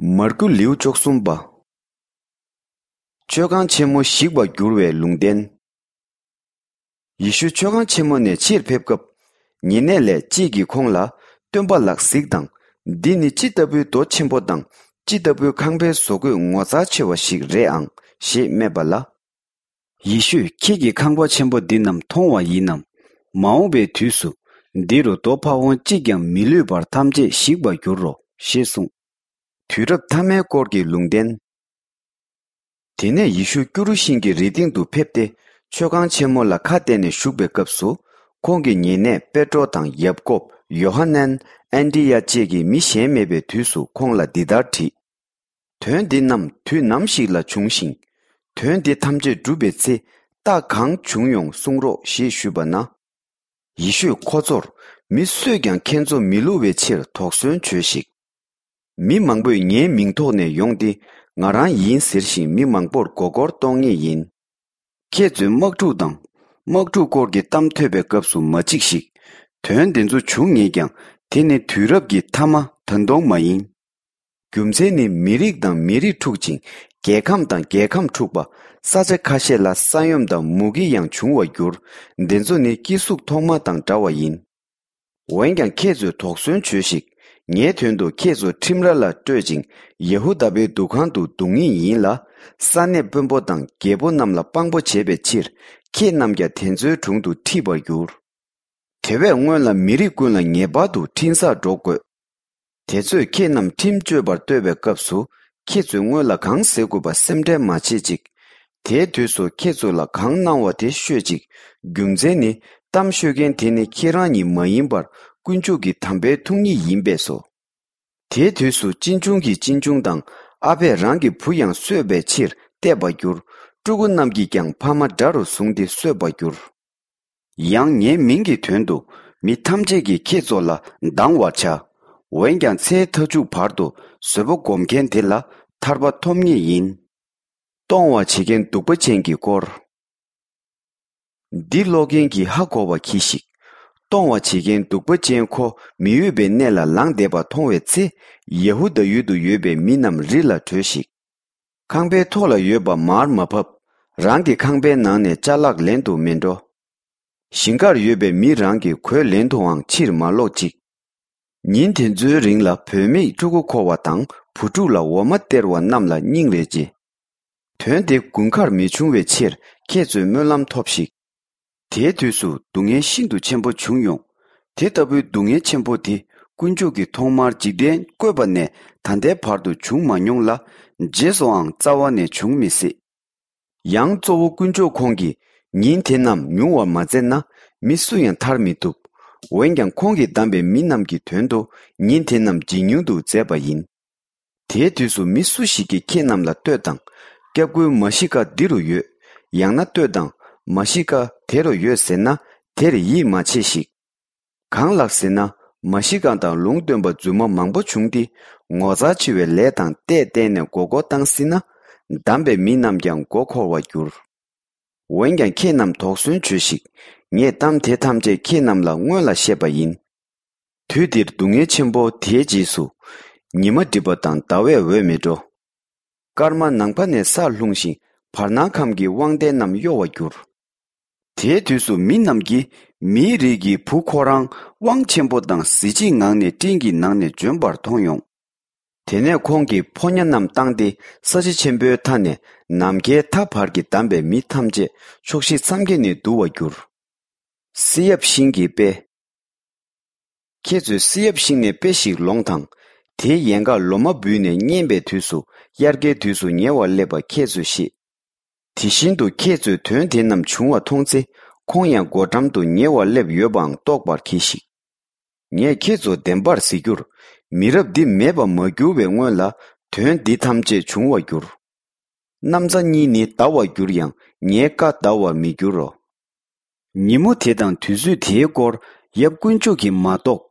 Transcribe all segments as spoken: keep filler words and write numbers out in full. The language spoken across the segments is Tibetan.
མར་ཁུ་ལེའུ་བཅུ་གསུམ་པ། མཆོད་ཁང་ཆེན་མོ་ཞིག་པར་འགྱུར་བའི་ལུང་བསྟན། ཡེ་ཤུ་མཆོད་ཁང་ཆེན་མོ་ནས་ཕྱིར་ཕེབས་སྐབས། ཉེ་གནས་ལས་གཅིག་གིས་ཁོང་ལ། སྟོན་པ་ལགས་གཟིགས་དང་། འདི་ནི་ཅི་ལྟ་བུའི་རྡོ་ཆེན་པོ་དང་། ཅི་ལྟ་བུའི་ཁང་པའི་བཟོ་བཀོད་ངོ་མཚར་ཆེ་བ་ཞིག་རེད་ཨང་ཞེས་སྨྲས་པ་ལ། ཡེ་ཤུས། ཁྱེད་ཀྱིས་ཁང་པ་ཆེན་པོ་འདི་རྣམས་མཐོང་བ་ཡིན་ནམ། མ་འོངས་པའི་དུས་སུ། འདི་རུ་རྡོ་ཕ་བོང་གཅིག་ཀྱང་མི་ལུས་པར་ཐམས་ཅད་ཞིག་པར་འགྱུར་རོ། ཞེས་གསུངས། དུས་རབས་ཐ་མའི་སྐོར་གྱི་ལུང་བསྟན། དེ་ནས་ཡེ་ཤུ་ཀུ་རུ་ཤིང་གི་རི་སྟེང་དུ་ཕེབས་ཏེ། མཆོད་ཁང་ཆེན་མོ་ལ་ཁ་གཏད་ནས་བཞུགས་པའི་སྐབས་སུ། ཁོང་གི་ཉེ་གནས་པེ་ཏྲོ་དང་ཡབ་ཀོབ། ཡོ་ཧ་ནན། ཨན་དྲི་ཡ་བཅས་ཀྱིས་མི་གཞན་མེད་པའི་དུས་སུ་ཁོང་ལ་འདི་ལྟར་དྲིས། དོན་འདི་རྣམས་དུས་ནམ་ཞིག་ལ་འབྱུང་ཞིང་། དོན་འདི་ཐམས་ཅད་འགྲུབ་པའི་ཚེ། རྟགས་གང་བྱུང་ཡོང་གསུང་རོགས་ཞེས་ཞུས་པ་ན། ཡེ་ཤུས་ཁོ་ཚོར། མི་སུས་ཀྱང་ཁྱེད་ཚོ་མི་བསླུ་བའི་ཕྱིར་དོགས་ཟོན་བྱོས་ཤིག། མི་མང་པོས་ངའི་མིང་ཐོག་ནས་ཡོང་སྟེ། ང་རང་ཡིན་ཟེར་ཞིང་མི་མང་པོར་མགོ་སྐོར་གཏོང་ངེས་ཡིན། ཁྱེད་ཚོས་དམག་འཁྲུག་དང་། དམག་འཁྲུག་སྐོར་གྱི་གཏམ་ཐོས་པའི་སྐབས་སུ་མ་འཇིགས་ཤིག། དོན་དེ་ཚོ་འབྱུང་ངེས་ཀྱང་། དེ་ནི་དུས་རབས་ཀྱི་མཐའ་མ་ད་དུང་མ་ཡིན། རྒྱུ་མཚན་ནི་མི་རིགས་དང་མི་རིགས་འཁྲུག་ཅིང་། རྒྱལ་ཁམས་དང་རྒྱལ་ཁམས་འཁྲུག་པ། ས་ཆ་ཁ་ཤས་ལ་ས་ཡོམ་དང་མུ་གེ་ཡང་འབྱུང་བར་འགྱུར། འདི་ཚོ་ནི་སྐྱེ་གཟུགས་ཐོག་མ་དང་འདྲ་བ་ཡིན། འོན་ཀྱང་ཁྱེད་ཚོས་དོགས་ཟོན་བྱོས་ཤིག། ངའི་དོན་དུ་ཁྱེད་ཚོ་ཁྲིམས་ར་ལ་སྤྲོད་ཅིང་། ཡ་ཧུ་དཱ་པའི་འདུ་ཁང་དུ་བརྡུང་ངེས་ཡིན་ལ། ས་གནས་དཔོན་པོ་དང་རྒྱལ་པོ་རྣམས་ལ་དཔང་པོ་བྱེད་པའི་ཕྱིར། ཁྱེད་རྣམས་ཀྱང་དེ་ཚོའི་དྲུང་དུ་ཁྲིད་པར་འགྱུར། དེ་བས་སྔོན་ལ་མི་རིགས་ཀུན་ལ་ངེས་པར་དུ་འཕྲིན་བཟང་སྒྲོག་དགོས། དེ་ཚོས་ཁྱེད་རྣམས་ཁྲིམས་གཅོད་པར་གཏོད་པའི་སྐབས་སུ། ཁྱེད་ཚོས་སྔོན་ལ་གང་ཟེར་དགོས་པ་སེམས་ཁྲལ་མ་བྱེད་ཅིག། དེའི་དུས་སུ་ཁྱེད་ཚོ་ལ་གང་གནང་བ་དེ་ཤོད་ཅིག། རྒྱུ་མཚན་ནི། གཏམ་ཤོད་མཁན་དེ་ནི་ཁྱེད་རང་ཉིད་མ་ཡིན་པར། དཀོན་མཆོག་གི་དམ་པའི་ཐུགས་ཉིད་ཡིན་པས་སོ། དེའི་དུས་སུ་གཅེན་གཅུང་གིས་གཅེན་གཅུང་དང་། ཨ་ཕས་རང་གི་བུ་ཡང་གསོད་པའི་ཕྱིར་གཏད་པར་འགྱུར། ཕྲུ་གུ་རྣམས་ཀྱིས་ཀྱང་ཕ་མ་དགྲ་རུ་བཟུང་སྟེ་གསོད་པར་འགྱུར། ཡང་ངའི་མིང་གི་དོན་དུ་མི་ཐམས་ཅད་ཀྱིས་ཁྱེད་ཚོ་ལ་སྡང་བར་བྱ། འོན་ཀྱང་ཚེའི་མཐའ་མཇུག་བར་དུ་བཟོད་པ་སྒོམ་མཁན་དེ་ལ་ཐར་པ་ཐོབ་ངེས་ཡིན། གཏོང་བ་བྱེད་མཁན་གདུག་པ་ཅན་གྱི་སྐོར། འདི་ཀློག་མཁན་གྱིས་ཧ་གོ་བ་གྱིས་ཤིག། གཏོང་བ་བྱེད་མཁན་གདུག་པ་ཅན་ཁོ་མི་འོས་པའི་གནས་ལ་ལངས་བསྡད་པ་མཐོང་བའི་ཚེ། ཡ་ཧུ་དཱ་ཡུལ་དུ་ཡོད་པའི་མི་རྣམས་རི་ལ་བྲོས་ཤིག། ཁང་པའི་ཐོག་ལ་ཡོད་པ་མར་མ་ཕབ། རང་གི་ཁང་པའི་ནང་ནས་ཅ་ལག་ལེན་དུ་མི་འགྲོ། ཞིང་ཁར་ཡོད་པའི་མི་རང་གི་གོས་ལེན་དུའང་ཕྱིར་མ་ལོག་ཅིག། ཉིན་དེ་ཚོའི་རིང་ལ་བུད་མེད་ཕྲུ་གུ་འཁོར་བ་དང་བུ་ཕྲུག་ལ་འོ་མ་སྟེར་བ་རྣམས་ལ་སྙིང་རེ་རྗེ། དོན་དེ་དགུན་ཁར་མི་འབྱུང་བའི་ཕྱིར་ཁྱེད་ཚོས་སྨོན་ལམ་ཐོབས་ཤིག། དེའི་དུས་སུ་སྡུག་བསྔལ་ཤིན་ཏུ་ཆེན་པོ་བྱུང་ཡོང་། དེ་ལྟ་བུའི་སྡུག་བསྔལ་ཆེན་པོ་དེ་དཀོན་མཆོག་གིས་ཐོག་མར་འཇིག་རྟེན་བཀོད་པ་ནས་ད་ལྟའི་བར་དུ་བྱུང་མ་མྱོང་ལ། རྗེས་སུའང་རྩ་བ་ནས་འབྱུང་མི་སྲིད། ཡང་གཙོ་བོ་དཀོན་མཆོག་ཁོང་གིས་ཉིན་དེ་རྣམས་ཉུང་བར་མ་མཛད་ན། མི་སུ་ཡང་ཐར་མི་ཐུབ། འོན་ཀྱང་ཁོང་གིས་བདམས་པའི་མི་རྣམས་ཀྱི་དོན་དུ་ཉིན་དེ་རྣམས་ཇེ་ཉུང་དུ་མཛད་པ་ཡིན། དེའི་དུས་སུ་མི་སུ་ཞིག་གིས་ཁྱེད་རྣམས་ལ་ལྟོས་དང་། སྐྱབས་མགོན་མཱ་ཤི་ཀ་འདི་རུ་ཡོད། ཡང་ན་ལྟོས་དང་། མཱ་ཤི་ཀ་དེ་རུ་ཡོད་ཟེར་ན། དེར་ཡིད་མ་ཆེས་ཤིག། གང་ལགས་ཟེར་ན། མཱ་ཤི་ཀ་དང་ལུང་སྟོན་པ་རྫུན་མ་མང་པོ་བྱུང་སྟེ། ངོ་མཚར་ཆེ་བའི་ལས་དང་ལྟས་བསྟན་ནས་མགོ་སྐོར་བཏང་སྲིད་ན། བདམས་པའི་མི་རྣམས་ཀྱང་མགོ་འཁོར་བར་འགྱུར། འོན་ཀྱང་ཁྱེད་རྣམས་དོགས་ཟོན་བྱོས་ཤིག། ངས་གཏམ་དེ་ཐམས་ཅད་ཁྱེད་རྣམས་ལ་སྔོན་ལ་བཤད་པ་ཡིན། དུས་འདིར་སྡུག་བསྔལ་ཆེན་པོ་དེའི་རྗེས་སུ། ཉི་མ་སྒྲིབ་པ་དང་ཟླ་བས་འོད་མི་འགྲོ། སྐར་མ་ནམ་མཁའ་ནས་སར་ལྷུང་ཞིང་། བར་སྣང་ཁམས་ཀྱི་དབང་ལྡན་རྣམས་གཡོ་བར་འགྱུར། དེའི་དུས་སུ་མི་རྣམས་ཀྱིས་མིའི་རིགས་ཀྱི་བུ་ཁོ་རང་དབང་ཆེན་པོ་དང་གཟི་བརྗིད་ངང་ནས་སྤྲིན་གྱི་ནང་ནས་འབྱོན་པར་མཐོང་ཡོང་། དེ་ནས་ཁོང་གིས་ཕོ་ཉ་རྣམས་བཏང་སྟེ། ས་གཞི་ཆེན་པོའི་མཐའ་ནས་ནམ་མཁའི་མཐའ་བར་གྱི་བདམས་པའི་མི་ཐམས་ཅད་ཕྱོགས་བཞི་མཚམས་བརྒྱད་ནས་འདུ་བར་འགྱུར། བསེ་ཡབ་ཤིང་གི་དཔེ། ཁྱེད་ཚོས་བསེ་ཡབ་ཤིང་ནས་དཔེ་ཞིག་ལོངས་དང་། དེའི་ཡལ་ག་ལོ་མ་འབུས་ནས་སྔན་པའི་དུས་སུ། དབྱར་ཁའི་དུས་སུ་ཉེ་བར་སླེབས་པ་ཁྱེད་ཚོས་ཤེས། དེ་བཞིན་དུ་ཁྱེད་ཚོས་དོན་དེ་རྣམས་བྱུང་བ་མཐོང་ཚེ། ཁོང་ཡང་སྒོ་འགྲམ་དུ་ཉེ་བར་སླེབས་ཡོད་པའང་རྟོགས་པར་གྱིས་ཤིག། ངས་ཁྱེད་ཚོ་བདེན་པར་ཟེར་རྒྱུར། མི་རབས་འདི་མེད་པར་མ་གྱུར་བའི་སྔོན་ལ་དོན་འདི་ཐམས་ཅད་འབྱུང་བར་འགྱུར། གནམ་ས་གཉིས་ནི་འདའ་བར་འགྱུར་ཡང་། ངའི་བཀའ་འདའ་བར་མི་འགྱུར་རོ། ཉིན་མོ་དེ་དང་དུས་ཚོད་དེའི་སྐོར་ཡབ་དཀོན་མཆོག་གིས་མ་གཏོགས་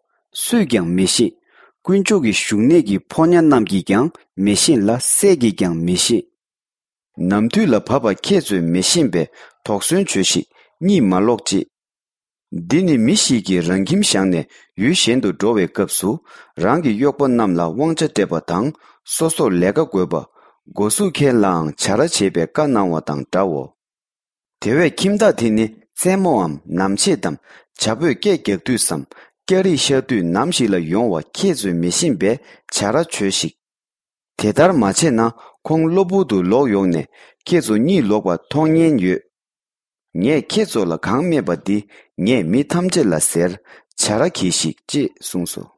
སུས་ཀྱང་མི་ཤེས། དཀོན་མཆོག་གི་བཞུགས་གནས་ཀྱི་ཕོ་ཉ་རྣམས་ཀྱིས་ཀྱང་མི་ཤེས་ལ། སྲས་ཀྱིས་ཀྱང་མི་ཤེས། ནམ་དུས་ལ་བབ་པ་ཁྱེད་ཚོས་མི་ཤེས་པས་དོགས་ཟོན་བྱོས་ཤིག། གཉིད་མ་ལོག་ཅིག། འདི་ནི་མི་ཞིག་གིས་རང་ཁྱིམ་བཞག་ནས་ཡུལ་གཞན་དུ་འགྲོ་བའི་སྐབས་སུ། རང་གི་གཡོག་པོ་རྣམས་ལ་དབང་ཆ་སྤྲད་པ་དང་། སོ་སོར་ལས་ཀ་བགོས་པ། སྒོ་ཟུག་ཁལ་ལའང་བྱ་ར་བྱེད་པའི་བཀའ་གནང་བ་དང་འདྲའོ། དེ་བས་ཁྱིམ་བདག་དེ་ནི་རྩེད་མོའམ་ནམ་ཕྱེད་དམ། བྱ་ཕོས་སྐད་རྒྱག་དུས་སམ། སྐྱ་རིས་ཤར་དུས་ནམ་ཞིག་ལ་ཡོང་བ་ཁྱེད་ཚོས་མི་ཤེས་པས་བྱ་ར་བྱོས་ཤིག། དེ་ལྟར་མ་བྱས་ན་ཁོང་གློ་བུར་དུ་ལོག་ཡོང་ནས་ཁྱེད་ཚོ་གཉིད་ལོག་པ་མཐོང་ཉེན་ཡོད། ངས་ཁྱེད་ཚོ་ལ་གང་སྨྲས་པ་འདི་ངས་མི་ཐམས་ཅད་ལ་ཟེར། བྱ་ར་གྱིས་ཤིག་ཅེས་གསུངས་སོ།